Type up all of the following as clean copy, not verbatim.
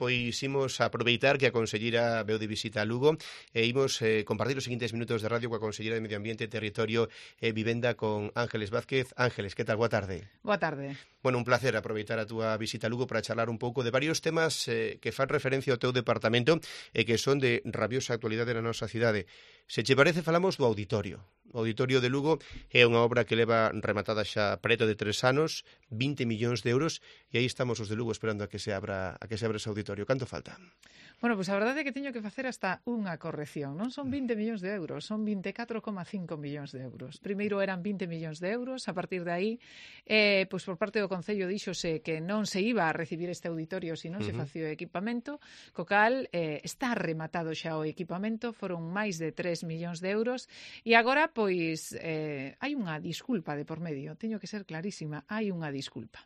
pois imos aproveitar que a conselleira veu de visita a Lugo e imos compartir os seguintes minutos de radio coa conselleira de Medio Ambiente, Territorio e Vivenda con Ángeles Vázquez. Ángeles, que tal? Boa tarde. Boa tarde. Bueno, un placer aproveitar a túa visita a Lugo para charlar un pouco de varios temas que fan referencia ao teu departamento e que son de rabiosa actualidade na nosa cidade. Se che parece, falamos do auditorio. O Auditorio de Lugo é unha obra que leva rematada xa preto de 3 anos, 20 millóns de euros, e aí estamos os de Lugo esperando a que se abra ese auditorio. Canto falta? Bueno, pois a verdade é que teño que facer hasta unha corrección. Non son 20 millóns de euros, son 24,5 millóns de euros. Primeiro eran 20 millóns de euros, a partir de aí, pois por parte do Concello díxose que non se iba a recibir este auditorio se non se facía o equipamento, co cal está rematado xa o equipamento, foron máis de 3 millóns de euros, e agora, pois, hai unha disculpa de por medio, teño que ser clarísima, hai unha disculpa.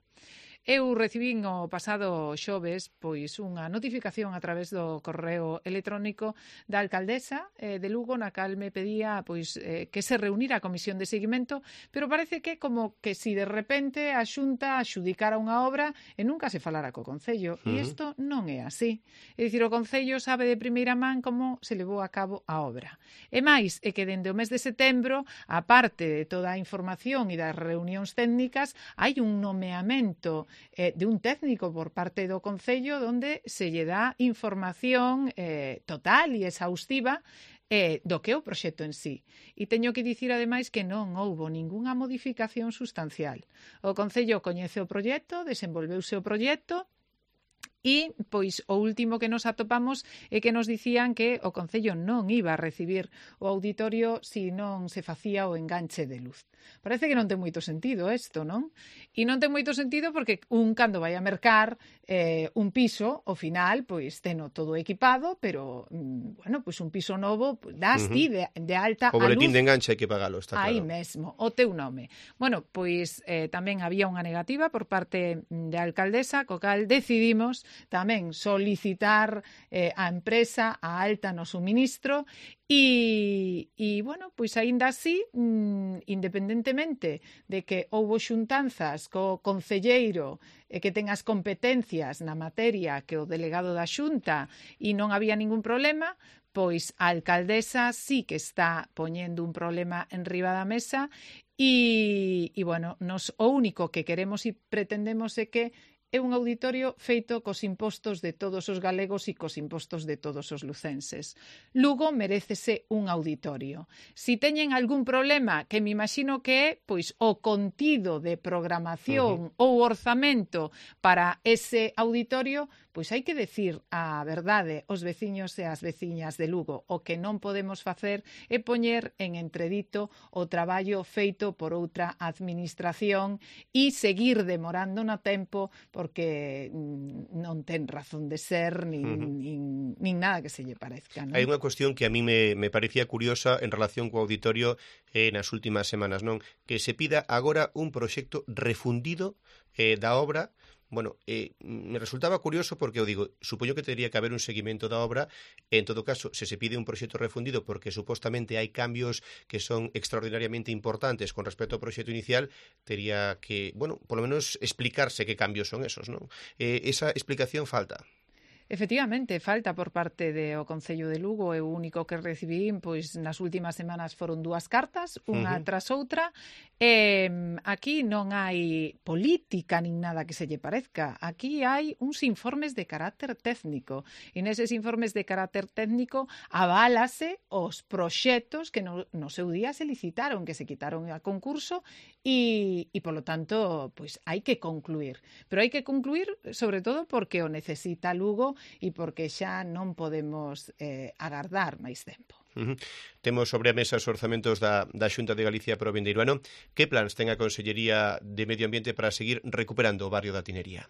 Eu recibín o pasado xoves pois unha notificación a través do correo electrónico da alcaldesa de Lugo, na cal me pedía pois que se reunira a comisión de seguimento, pero parece que como que si de repente a Xunta adxudicara unha obra e nunca se falara co Concello, e isto non é así. É dicir, o Concello sabe de primeira man como se levou a cabo a obra. E máis, é que dende o mes de setembro, a parte de toda a información e das reunións técnicas, hai un nomeamento de un técnico por parte do Concello onde se lle dá información total e exhaustiva do que é o proxecto en sí. E teño que dicir, ademais, que non houbo ningunha modificación sustancial. O Concello coñece o proxecto, desenvolveuse o proxecto, e, pois, o último que nos atopamos é que nos dicían que o Concello non iba a recibir o auditorio se non se facía o enganche de luz. Parece que non ten moito sentido isto, non? E non ten moito sentido porque cando vai a mercar un piso, ao final, pois, teno todo equipado, pero, bueno, pois un piso novo, das ti de alta a luz. O boletín de enganche hai que pagalo, está claro. Aí mesmo, o teu nome. Bueno, pois tamén había unha negativa por parte da alcaldesa, co cal decidimos tamén solicitar a empresa a alta no suministro e bueno, pois aínda así, independentemente de que houbo xuntanzas co concelleiro que ten as competencias na materia que o delegado da Xunta e non había ningún problema, pois a alcaldesa sí que está poñendo un problema en riba da mesa e bueno, nos o único que queremos e pretendemos é que é un auditorio feito cos impostos de todos os galegos e cos impostos de todos os lucenses. Lugo merécese un auditorio. Si teñen algún problema, que me imagino que é pois o contido de programación ou orzamento para ese auditorio, pois hai que decir a verdade aos veciños e as veciñas de Lugo. O que non podemos facer é poñer en entredito o traballo feito por outra administración e seguir demorando no tempo porque non ten razón de ser nin nada que se lle parezca, non? Hai unha cuestión que a mí me parecía curiosa en relación co auditorio nas últimas semanas, non? Que se pida agora un proxecto refundido da obra. Bueno, me resultaba curioso porque, eu digo, supoño que teria que haber un seguimento da obra e, en todo caso, se pide un proxecto refundido porque supostamente hai cambios que son extraordinariamente importantes con respecto ao proxecto inicial, teria que, bueno, polo menos explicarse que cambios son esos, non? Esa explicación falta. Efectivamente, falta por parte do Concello de Lugo, e o único que recibín pois nas últimas semanas foron 2 cartas, unha tras outra. Aquí non hai política nin nada que se lle parezca. Aquí hai uns informes de carácter técnico, e neses informes de carácter técnico aválase os proxectos que no seu día se licitaron, que se quitaron a concurso, e polo tanto, pois hai que concluir. Pero hai que concluir sobre todo porque o necesita Lugo e porque xa non podemos agardar máis tempo. Temos sobre a mesa os orzamentos da Xunta de Galicia para o vindeiro ano. Que plans ten a Consellería de Medio Ambiente para seguir recuperando o barrio da Tinería?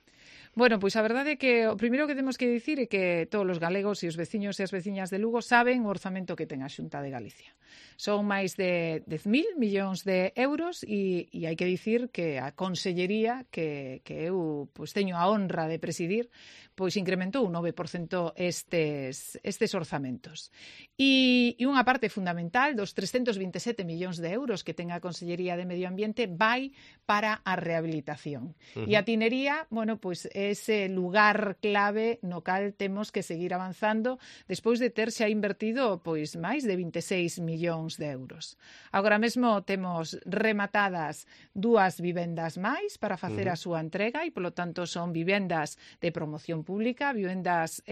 Bueno, pois a verdade é que o primeiro que temos que dicir é que todos os galegos e os veciños e as veciñas de Lugo saben o orzamento que ten a Xunta de Galicia. Son máis de 10.000 millóns de euros e hai que dicir que a Consellería que eu pois teño a honra de presidir, pois incrementou un 9% estes orzamentos. E unha parte fundamental dos 327 millóns de euros que ten a Consellería de Medio Ambiente vai para a rehabilitación. E a Tinería, bueno, pois ese lugar clave no cal temos que seguir avanzando despois de ter xa invertido pois máis de 26 millóns de euros. Agora mesmo temos rematadas 2 vivendas máis para facer a súa entrega e, polo tanto, son vivendas de promoción pública, vivendas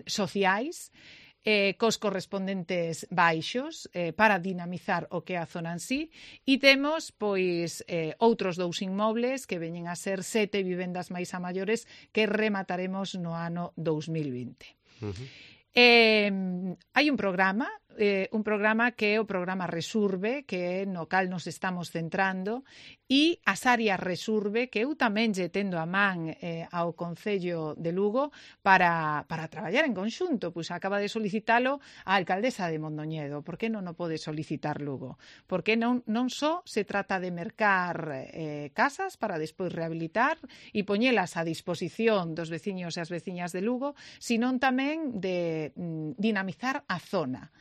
sociais, cos correspondentes baixos para dinamizar o que é a zona en sí, e temos pois outros 2 inmobles que veñen a ser 7 vivendas máis a maiores que remataremos no ano 2020. Hai un programa que é o programa Resurbe, que é no cal nos estamos centrando, e as áreas Resurbe, que eu tamén lle tendo a man ao Concello de Lugo para traballar en conxunto. Pois acaba de solicitalo a alcaldesa de Mondoñedo. Por que non o pode solicitar Lugo? Porque non só se trata de mercar casas para despois rehabilitar e poñelas a disposición dos veciños e as veciñas de Lugo, senón tamén de dinamizar a zona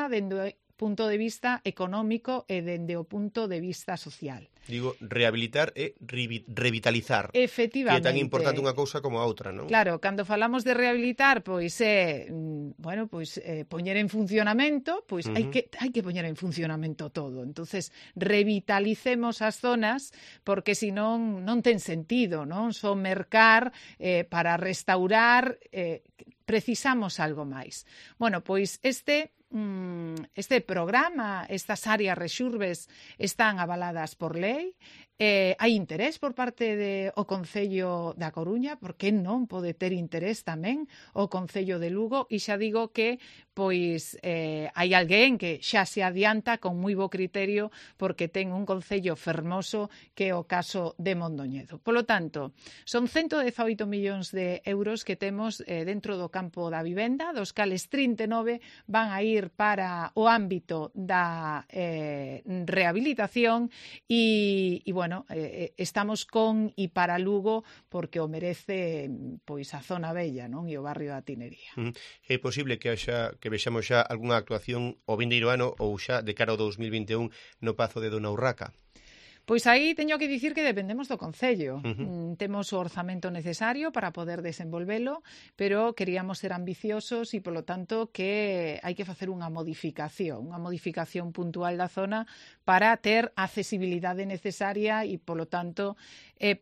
dende o punto de vista económico e dende o punto de vista social. Digo, rehabilitar e revitalizar. Efectivamente. Que é tan importante unha cousa como a outra, non? Claro, cando falamos de rehabilitar, pois é, poñer en funcionamento, pois hai que poñer en funcionamento todo. Entonces, revitalicemos as zonas, porque senón non ten sentido, non? Só mercar para restaurar, precisamos algo máis. Bueno, pois este programa, estas áreas Rexurbes están avaladas por lei. Hai interés por parte do Concello da Coruña, porque non pode ter interés tamén o Concello de Lugo, e xa digo que pois hai alguén que xa se adianta con moi bo criterio porque ten un concello fermoso que é o caso de Mondoñedo. Polo tanto, son 118 millóns de euros que temos dentro do campo da vivenda, dos cales 39 van a ir para o ámbito da rehabilitación e bueno, estamos con e para Lugo porque o merece pois a zona bella, non? E o barrio da Tinería. É posible que vexamos xa algunha actuación o vindeiro ano ou xa de cara ao 2021 no Pazo de Dona Urraca? Pois aí teño que dicir que dependemos do Concello. Temos o orzamento necesario para poder desenvolvelo, pero queríamos ser ambiciosos e, polo tanto, que hai que facer unha modificación puntual da zona para ter a accesibilidade necesaria e, polo tanto,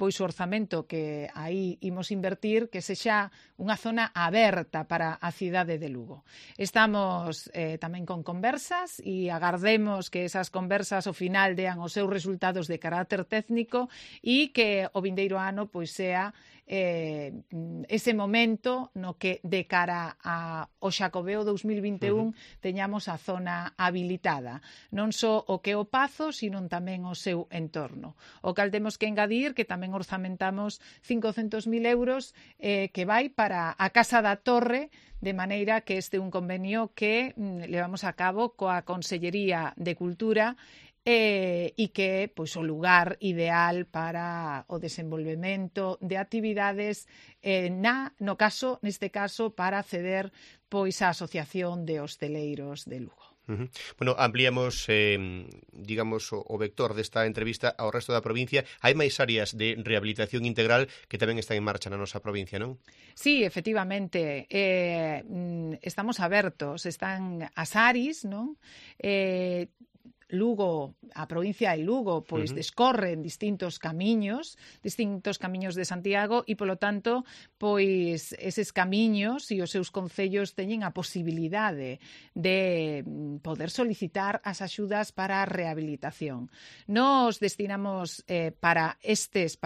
pois o orzamento que aí imos invertir que sexa unha zona aberta para a cidade de Lugo. Estamos tamén con conversas e agardemos que esas conversas ao final dean os seus resultados de carácter técnico e que o vindeiro ano pois sea ese momento no que de cara ao Xacobeo 2021 teñamos a zona habilitada. Non só o que é o Pazo, sino tamén o seu entorno. O cal temos que engadir que tamén orzamentamos 500.000 euros que vai para a Casa da Torre, de maneira que este é un convenio que levamos a cabo coa Consellería de Cultura e que é pois o lugar ideal para o desenvolvemento de actividades neste caso para acceder pois á Asociación de Hosteleiros de Lugo. Bueno, ampliamos, digamos, o vector desta entrevista ao resto da provincia. Hai máis áreas de rehabilitación integral que tamén están en marcha na nosa provincia, non? Sí, efectivamente. Estamos abertos. Están as ARIs, non? Lugo, a provincia de Lugo, pois descorren distintos camiños de Santiago e, polo tanto, pois eses camiños e os seus concellos teñen a posibilidade de poder solicitar as axudas para a rehabilitación. Nos destinamos para estas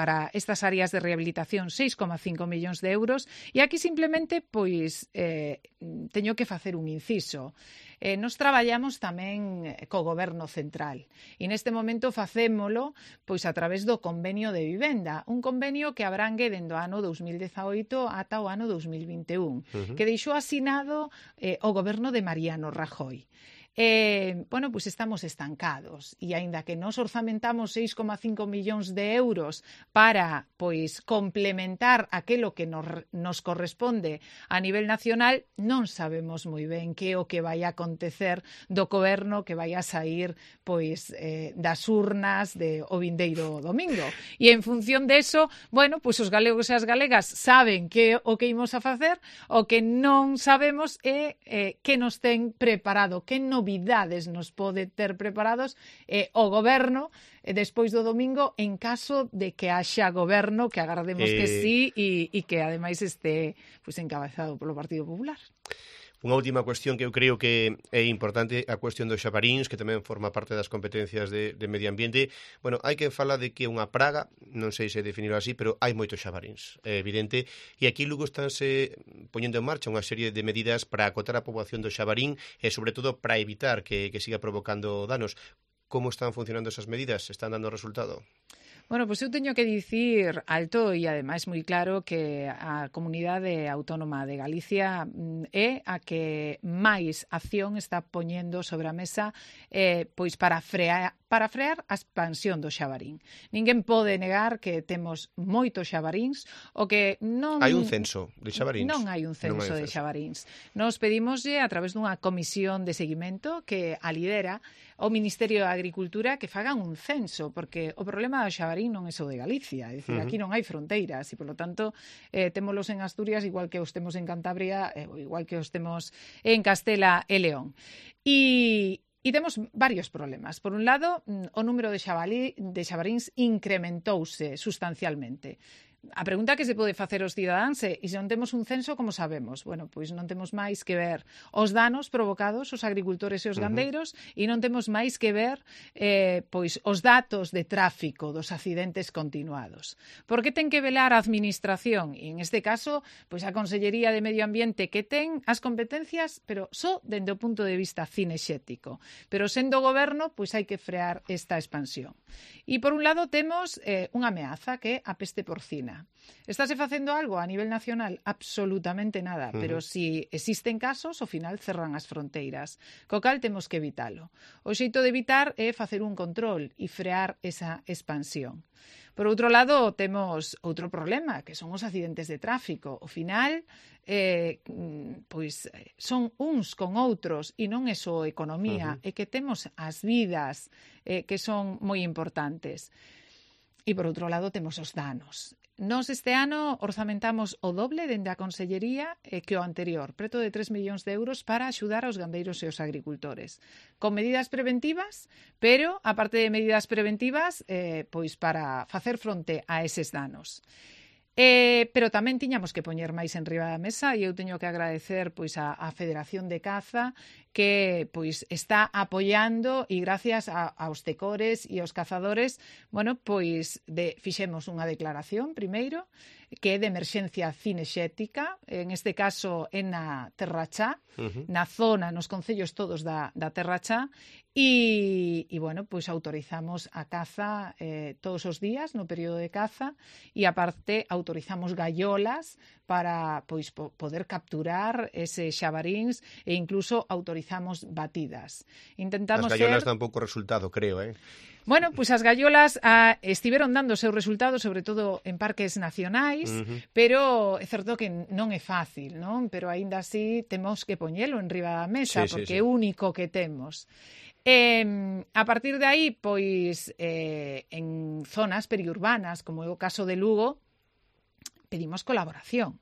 áreas de rehabilitación 6,5 millóns de euros e aquí simplemente pois teño que facer un inciso. Nos traballamos tamén co Goberno Central e neste momento facémolo pois a través do convenio de vivenda, un convenio que abrangue dende o ano 2018 ata o ano 2021, que deixou asinado o Goberno de Mariano Rajoy. bueno, pois estamos estancados e aínda que nos orzamentamos 6,5 millóns de euros para pois complementar aquilo que nos corresponde a nivel nacional, non sabemos moi ben que é o que vai a acontecer do goberno que vai a sair pois das urnas o vindeiro domingo. E en función deso, bueno, pois os galegos e as galegas saben que o que imos a facer, o que non sabemos é que nos ten preparado, que novidades nos pode ter preparados o goberno despois do domingo en caso de que haxa goberno, que agardemos que sí e que ademais este pois encabezado polo Partido Popular. Unha última cuestión que eu creo que é importante, a cuestión dos xabaríns, que tamén forma parte das competencias de medio ambiente. Bueno, hai quen fala de que é unha praga, non sei se definirlo así, pero hai moitos xabaríns, é evidente, e aquí Lugo estánse poñendo en marcha unha serie de medidas para acotar a poboación do xabarín e, sobre todo, para evitar que siga provocando danos. Como están funcionando esas medidas? Están dando resultado? Bueno, pois eu teño que dicir alto e ademais moi claro que a Comunidade Autónoma de Galicia é a que máis acción está poñendo sobre a mesa pois para frear a expansión do xabarín. Ninguén pode negar que temos moitos xabaríns, o que non... Hai un censo de xabaríns? Non hai un censo de xabaríns. Nos pedimoslle a través dunha comisión de seguimento que a lidera o Ministerio de Agricultura que fagan un censo, porque o problema do xabarín non é só de Galicia, é dicir, aquí non hai fronteiras e, polo tanto, témolos en Asturias igual que os temos en Cantabria, igual que os temos en Castela e León. E temos varios problemas. Por un lado, o número de xabaríns incrementouse sustancialmente. A pregunta que se pode facer aos cidadáns é: e se non temos un censo, como sabemos? Bueno, pois non temos máis que ver os danos provocados aos agricultores e os gandeiros e non temos máis que ver pois os datos de tráfico dos accidentes continuados. Por que ten que velar a Administración? E en este caso, pois a Consellería de Medio Ambiente, que ten as competencias, pero só dende o punto de vista cinexético. Pero sendo goberno, pois hai que frear esta expansión. E por un lado temos unha ameaza que é a peste porcina. Estáse facendo algo a nivel nacional? Absolutamente nada, pero si existen casos, ao final cerran as fronteiras, co cal temos que evitalo. O xeito de evitar é facer un control e frear esa expansión. Por outro lado, temos outro problema, que son os accidentes de tráfico. Ao final, pois son uns con outros e non é só economía, é que temos as vidas que son moi importantes. E por outro lado temos os danos. Nós este ano orzamentamos o doble dende a Consellería que o anterior, preto de 3 millóns de euros para axudar aos gandeiros e aos agricultores. Con medidas preventivas, pero, aparte de medidas preventivas, pois para facer fronte a eses danos. Pero tamén tiñamos que poñer máis enriba da mesa e eu teño que agradecer pois a Federación de Caza que pois está apoiando e gracias aos tecores e aos cazadores, bueno, pois fixemos unha declaración primeiro que é de emerxencia cinexética, en este caso en na Terra Chá, na zona, nos concellos todos da Terra Chá, e bueno, pois autorizamos a caza todos os días no período de caza e aparte autorizamos gaiolas para pois poder capturar ese xabaríns e incluso autorizamos batidas. Intentamos as gaiolas dan pouco resultado, creo, Bueno, pois as gaiolas estiveron dando o seu resultado, sobre todo en parques nacionais, pero é certo que non é fácil, non? Pero aínda así temos que poñelo en riba da mesa, porque é o único que temos. A partir de aí, pois, en zonas periurbanas, como é o caso de Lugo, pedimos colaboración.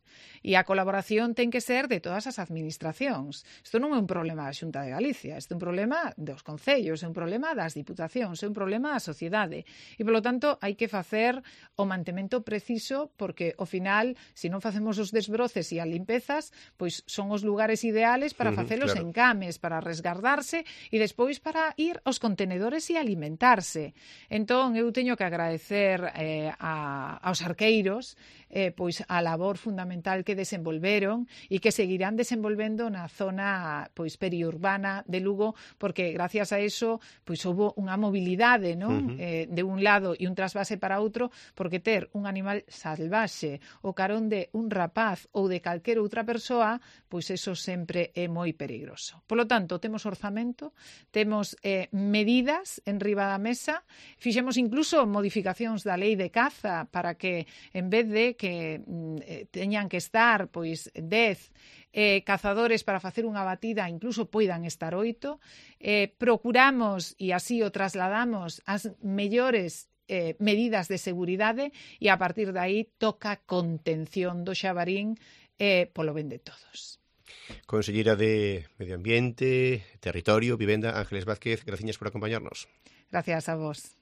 E a colaboración ten que ser de todas as administracións. Isto non é un problema da Xunta de Galicia, isto é un problema dos concellos, é un problema das diputacións, é un problema da sociedade. E, polo tanto, hai que facer o mantemento preciso porque, ao final, se non facemos os desbroces e as limpezas, pois son os lugares ideales para facelos en cames, para resgardarse e despois para ir aos contenedores e alimentarse. Entón, eu teño que agradecer aos arqueiros pois a labor fundamental fundamental que desenvolveron e que seguirán desenvolvendo na zona pois periurbana de Lugo, porque gracias a eso pois houbo unha mobilidade, non? De un lado e un trasvase para outro, porque ter un animal salvaxe o carón de un rapaz ou de calquera outra persoa, pois eso sempre é moi perigoso. Polo tanto, temos orzamento, temos medidas en riba da mesa, fixemos incluso modificacións da lei de caza para que en vez de que teñan que estar pois 10 cazadores para facer unha batida, incluso poidan estar 8. Procuramos, e así o trasladamos, as mellores medidas de seguridade e a partir de aí toca contención do xabarín polo ben de todos. Conselleira de Medio Ambiente, Territorio, Vivenda, Ángeles Vázquez, graciñas por acompañarnos. Gracias a vos.